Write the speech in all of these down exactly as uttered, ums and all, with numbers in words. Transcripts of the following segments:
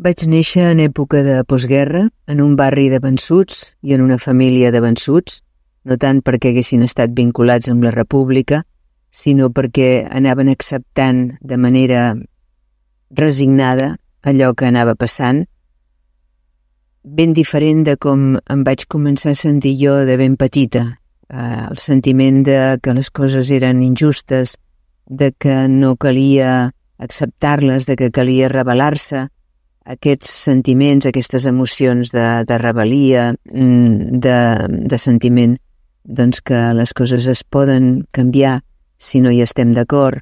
Vaig néixer en època de postguerra, en un barri de vençuts i en una família de vençuts, no tant perquè haguessin estat vinculats amb la República, sinó perquè anaven acceptant de manera resignada allò que anava passant, ben diferent de com em vaig començar a sentir jo de ben petita. Eh, el sentiment de que les coses eren injustes, de que no calia acceptar-les, de que calia rebel·lar-se, aquests sentiments, aquestes emocions de, de rebel·lia, de, de sentiment doncs que les coses es poden canviar si no hi estem d'acord,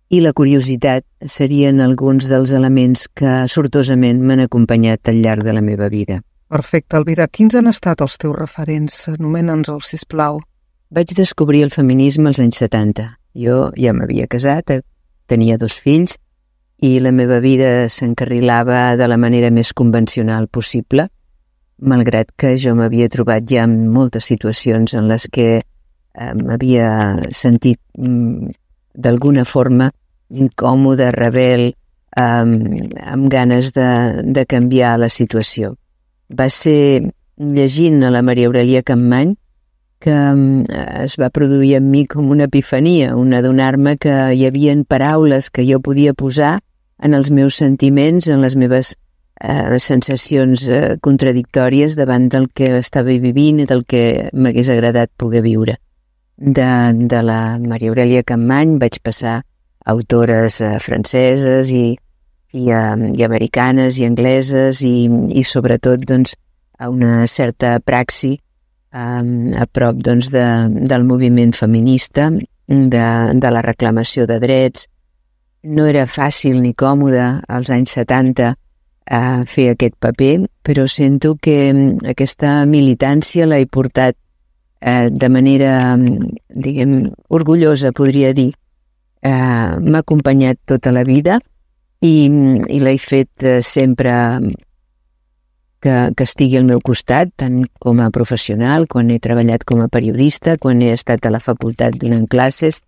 i la curiositat serien alguns dels elements que sortosament m'han acompanyat al llarg de la meva vida. Perfecte, Elvira. Quins han estat els teus referents? Anomena'ns-els, sisplau. Vaig descobrir el feminisme als anys setanta. Jo ja m'havia casat, tenia dos fills, i la meva vida s'encarrilava de la manera més convencional possible, malgrat que jo m'havia trobat ja en moltes situacions en les que eh, m'havia sentit mm, d'alguna forma incòmode, rebel, eh, amb ganes de, de canviar la situació. Va ser llegint a la Maria Aurelia Capmany que es va produir en mi com una epifania, un adonar-me que hi havia paraules que jo podia posar en els meus sentiments, en les meves eh, sensacions eh, contradictòries davant del que estava vivint i del que m'hagués agradat poder viure. De, de la Maria Aurelia Capmany vaig passar a autores eh, franceses i, i, eh, i americanes i angleses i, i sobretot doncs, a una certa praxi eh, a prop doncs, de, del moviment feminista, de, de la reclamació de drets. No era fàcil ni còmode als anys setanta eh, fer aquest paper, però sento que aquesta militància l'he portat eh, de manera, diguem, orgullosa, podria dir. Eh, m'ha acompanyat tota la vida i, i l'he fet eh, sempre que, que estigui al meu costat, tant com a professional, quan he treballat com a periodista, quan he estat a la facultat donant classes,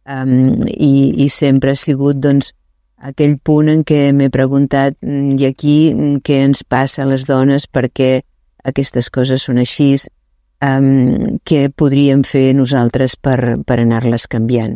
Um, i, i sempre ha sigut doncs, aquell punt en què m'he preguntat i aquí què ens passa a les dones, perquè aquestes coses són així, um, què podríem fer nosaltres per, per anar-les canviant.